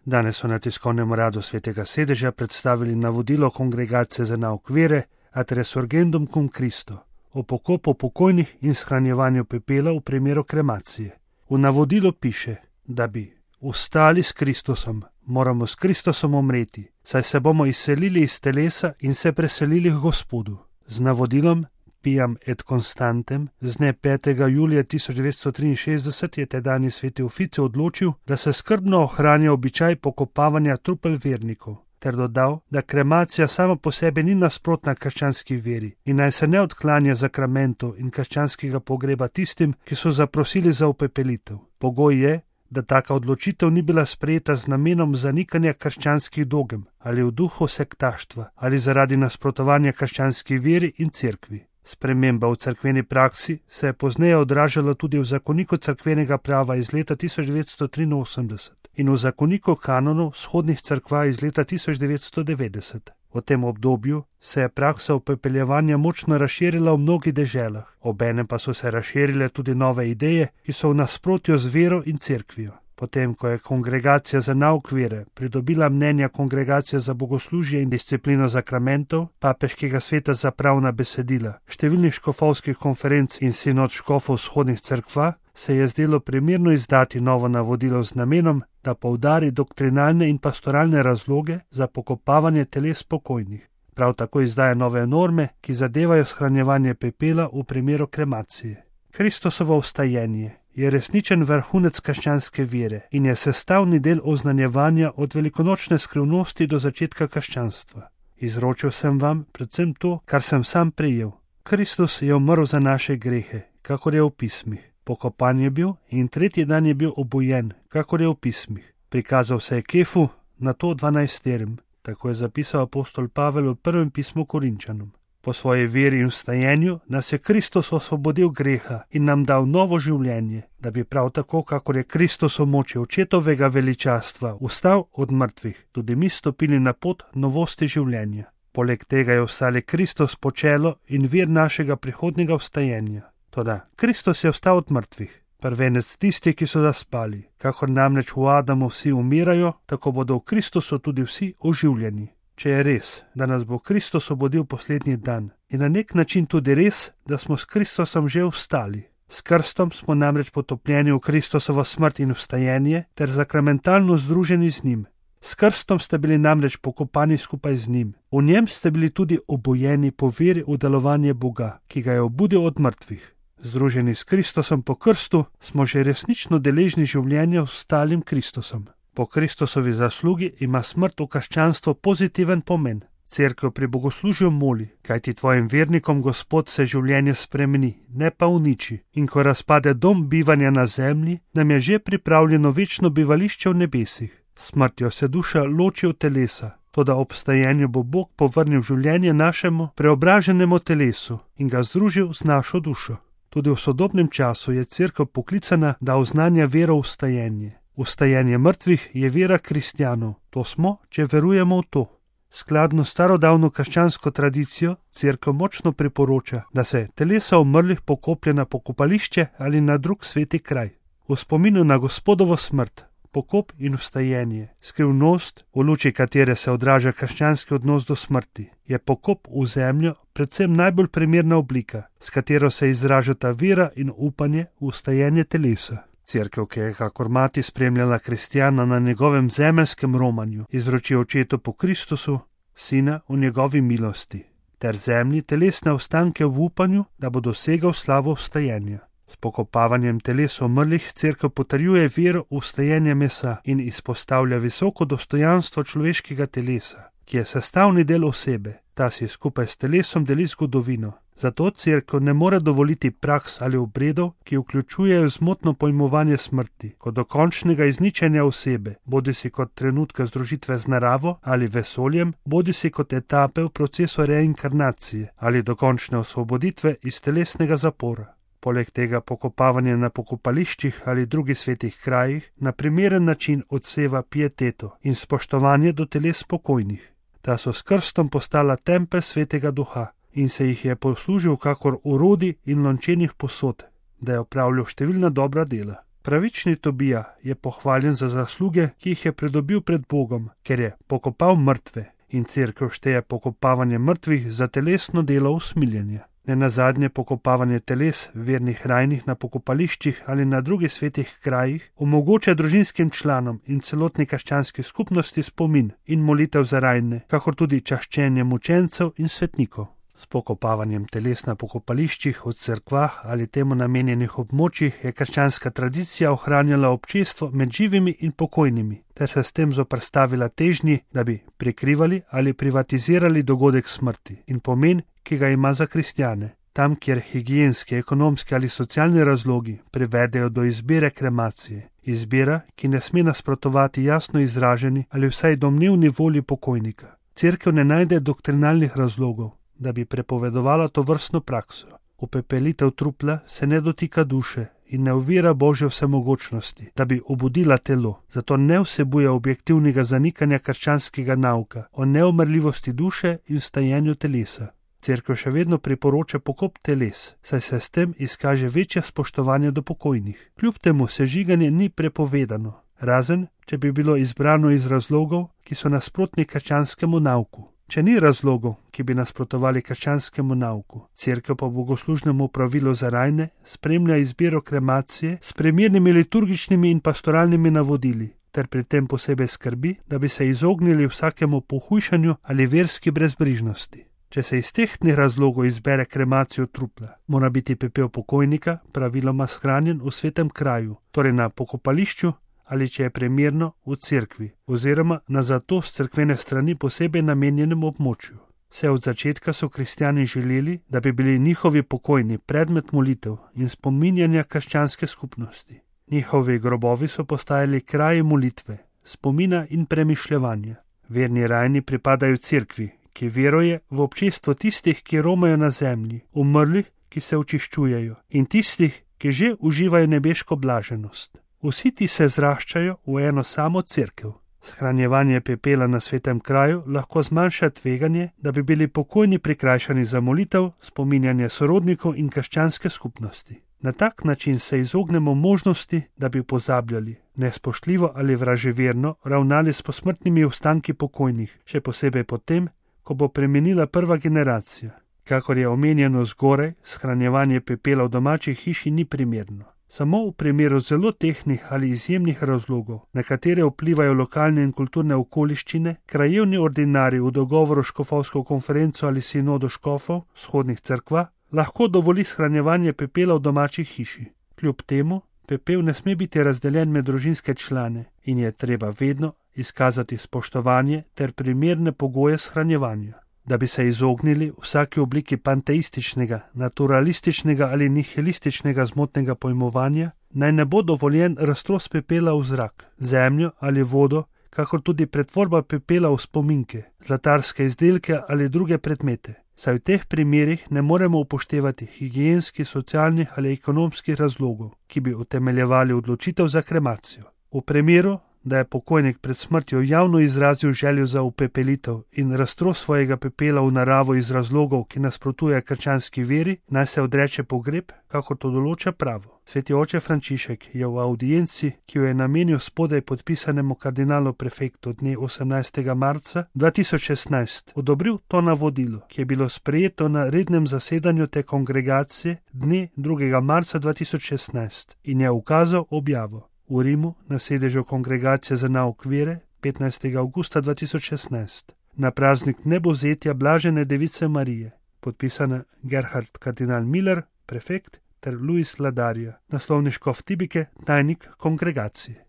Danes so na tiskovnem uradu Svetega sedeža predstavili navodilo Kongregacije za nauk vere ad resurgendum cum Christo o pokopu pokojnih in shranjevanju pepela v primeru kremacije. V navodilu piše, da bi vstali s Kristusom, moramo s Kristusom umreti, saj se bomo izselili iz telesa in se preselili k Gospodu. Z navodilom Piam et Constantem z dne 5. julija 1963 je tedajni sveti oficij odločil, da se skrbno ohranja običaj pokopavanja trupel vernikov, ter dodal, da kremacija sama po sebi ni nasprotna krščanski veri in naj se ne odklanja zakramentov in krščanskega pogreba tistim, ki so zaprosili za upepelitev. Pogoj je, da taka odločitev ni bila sprejeta z namenom zanikanja krščanskih dogem ali v duhu sektaštva ali zaradi nasprotovanja krščanski veri in cerkvi. Sprememba v cerkveni praksi se je pozneje odražala tudi v zakoniku cerkvenega prava iz leta 1983 in v zakoniku kanonov vzhodnih cerkva iz leta 1990. V tem obdobju se je praksa upepeljevanja močno razširila v mnogih deželah, obenem pa so se razširile tudi nove ideje, ki so v nasprotju z vero in cerkvijo. Potem, ko je Kongregacija za nauk vere pridobila mnenja Kongregacije za bogoslužje in disciplino zakramentov, papeškega sveta za pravna besedila, številnih škofovskih konferenc in sinod škofov vzhodnih cerkva, se je zdelo primerno izdati novo navodilo z namenom, da poudari doktrinalne in pastoralne razloge za pokopavanje teles pokojnih. Prav tako izdaja nove norme, ki zadevajo shranjevanje pepela v primeru kremacije. Kristusovo vstajenje je resničen vrhunec krščanske vere in je sestavni del oznanjevanja od velikonočne skrivnosti do začetka krščanstva. Izročil sem vam predvsem to, kar sem sam prejel. Kristus je umrl za naše grehe, kakor je v pismih. Pokopan je bil in tretji dan je bil obojen, kakor je v pismih. Prikazal se je Kefu, nato 12. Tako je zapisal apostol Pavel v prvem pismu Korinčanom. Po svoji veri in vstajenju nas je Kristus osvobodil greha in nam dal novo življenje, da bi prav tako, kakor je Kristus v moči očetovega veličastva vstal od mrtvih, tudi mi stopili na pot novosti življenja. Poleg tega je vstali Kristus počelo in vir našega prihodnjega vstajenja. Toda Kristus je vstal od mrtvih, prvenec tistih, ki so zaspali. Kakor namreč v Adamu vsi umirajo, tako bodo v Kristusu tudi vsi oživljeni. Če je res, da nas bo Kristus obudil poslednji dan, je na nek način tudi res, da smo s Kristusom že vstali. S krstom smo namreč potopljeni v Kristusovo smrt in vstajenje ter sakramentalno združeni z njim. S krstom ste bili namreč pokopani skupaj z njim. V njem ste bili tudi obojeni po veri v delovanje Boga, ki ga je obudil od mrtvih. Združeni s Kristusom po krstu smo že resnično deležni življenja s stalim Kristusom. Po Kristusovi zaslugi ima smrt v krščanstvu pozitiven pomen. Cerkev pri bogoslužju moli, kajti tvojim vernikom Gospod se življenje spremeni, ne pa uniči. In ko razpade dom bivanja na zemlji, nam je že pripravljeno večno bivališče v nebesih. Smrtjo se duša loči od telesa, toda ob vstajenju bo Bog povrnil življenje našemu preobraženemu telesu in ga združil z našo dušo. Tudi v sodobnem času je cerkev poklicana, da oznanja vero v vstajenje. Vstajenje mrtvih je vera kristjanov, to smo, če verujemo v to. Skladno s starodavno krščansko tradicijo, cerkev močno priporoča, da se telesa umrlih pokoplje na pokopališče ali na drug sveti kraj. V spominu na Gospodovo smrt, pokop in vstajenje, skrivnost, v luči katere se odraža krščanski odnos do smrti, je pokop v zemljo predvsem najbolj primerna oblika, s katero se izražata vera in upanje v vstajenje telesa. Cerkev, ki je kakor mati spremljala kristjana na njegovem zemeljskem romanju, izroči očetu po Kristusu, sina v njegovi milosti, ter zemlji telesne ostanke v upanju, da bo dosegal slavo vstajenja. S pokopavanjem teles umrlih cerkev potrjuje vero v vstajenje mesa in izpostavlja visoko dostojanstvo človeškega telesa, ki je sestavni del osebe. Ta si skupaj s telesom deli zgodovino. Zato cerkev ne more dovoliti praks ali obredov, ki vključujejo zmotno pojmovanje smrti, kot dokončnega izničenja osebe, bodisi kot trenutka združitve z naravo ali vesoljem, bodisi kot etape v procesu reinkarnacije ali dokončne osvoboditve iz telesnega zapora. Poleg tega pokopavanje na pokopališčih ali drugih svetih krajih na primeren način odseva pieteto in spoštovanje do teles pokojnih. Ta so s krstom postala tempelj svetega duha in se jih je poslužil kakor orodij in lončenih posod, da je opravljal številna dobra dela. Pravični Tobija je pohvaljen za zasluge, ki jih je pridobil pred Bogom, ker je pokopal mrtve, in cerkev šteje pokopavanje mrtvih za telesno delo usmiljenja. Nenazadnje pokopavanje teles vernih rajnih na pokopališčih ali na drugih svetih krajih omogoča družinskim članom in celotni krščanski skupnosti spomin in molitev za rajne, kakor tudi čaščenje mučencev in svetnikov. S pokopavanjem teles na pokopališčih v cerkvah ali temu namenjenih območjih je krščanska tradicija ohranjala občestvo med živimi in pokojnimi, ter se s tem zoperstavila težnji, da bi prikrivali ali privatizirali dogodek smrti in pomen, ki ga ima za kristjane. Tam, kjer higienski, ekonomski ali socialni razlogi privedejo do izbire kremacije, izbira, ki ne sme nasprotovati jasno izraženi ali vsaj domnevni volji pokojnika. Cerkev ne najde doktrinalnih razlogov, da bi prepovedovala to vrstno prakso. Upepelitev trupla se ne dotika duše in ne ovira Božje vsemogočnosti, da bi obudila telo, zato ne vsebuje objektivnega zanikanja krščanskega nauka o neumrljivosti duše in vstajenju telesa. Cerkev še vedno priporoča pokop teles, saj se s tem izkaže večje spoštovanje do pokojnih. Kljub temu sežiganje ni prepovedano, razen če bi bilo izbrano iz razlogov, ki so nasprotni krščanskemu nauku. Če ni razlogov, ki bi nasprotovali krščanskemu nauku, cerkev pa bogoslužnemu pravilu za rajne spremlja izbiro kremacije s primernimi liturgičnimi in pastoralnimi navodili, ter pri tem posebej skrbi, da bi se izognili vsakemu pohujšanju ali verski brezbrižnosti. Če se iz tehtnih razlogov izbere kremacijo trupla, mora biti pepel pokojnika praviloma shranjen v svetem kraju, torej na pokopališču, ali če je primerno v cerkvi, oziroma na zato s cerkvene strani posebej namenjenem območju. Vse od začetka so kristjani želeli, da bi bili njihovi pokojni predmet molitev in spominjanja krščanske skupnosti. Njihovi grobovi so postajali kraji molitve, spomina in premišljevanja. Verni rajni pripadajo cerkvi, ki veruje v občestvo tistih, ki romajo na zemlji, umrlih, ki se očiščujejo, in tistih, ki že uživajo nebeško blaženost. Vsi ti se zraščajo v eno samo cerkev. Shranjevanje pepela na svetem kraju lahko zmanjša tveganje, da bi bili pokojni prikrajšani za molitev, spominjanje sorodnikov in krščanske skupnosti. Na tak način se izognemo možnosti, da bi pozabljali, nespoštljivo ali vraževerno ravnali s posmrtnimi ostanki pokojnih, še posebej potem, ko bo premenila prva generacija. Kakor je omenjeno zgoraj, shranjevanje pepela v domači hiši ni primerno. Samo v primeru zelo tehtnih ali izjemnih razlogov, na katere vplivajo lokalne in kulturne okoliščine, krajevni ordinarji v dogovoru s škofovsko konferenco ali sinodo škofov vzhodnih cerkva lahko dovoli shranjevanje pepela v domači hiši. Kljub temu, pepel ne sme biti razdeljen med družinske člane in je treba vedno izkazati spoštovanje ter primerne pogoje shranjevanja. Da bi se izognili vsaki obliki panteističnega, naturalističnega ali nihilističnega zmotnega pojmovanja, naj ne bo dovoljen raztros pepela v zrak, zemljo ali vodo, kakor tudi pretvorba pepela v spominke, zlatarske izdelke ali druge predmete. Saj v teh primerih ne moremo upoštevati higienskih, socialnih ali ekonomskih razlogov, ki bi utemeljevali odločitev za kremacijo. V primeru, da je pokojnik pred smrtjo javno izrazil željo za upepelitev in raztros svojega pepela v naravo iz razlogov, ki nasprotuje krščanski veri, naj se odreče pogreb, kakor to določa pravo. Sveti oče Frančišek je v audienci, ki jo je namenil spodaj podpisanemu kardinalu prefektu dne 18. marca 2016, odobril to navodilo, ki je bilo sprejeto na rednem zasedanju te kongregacije dne 2. marca 2016 in je ukazal objavo. V Rimu na sedežu kongregacije za nauk vere 15. avgusta 2016 na praznik nebovzetja Blažene device Marije, podpisana Gerhard kardinal Miller, prefekt, ter Luis Ladarja, naslovni škof Tibike, tajnik kongregacije.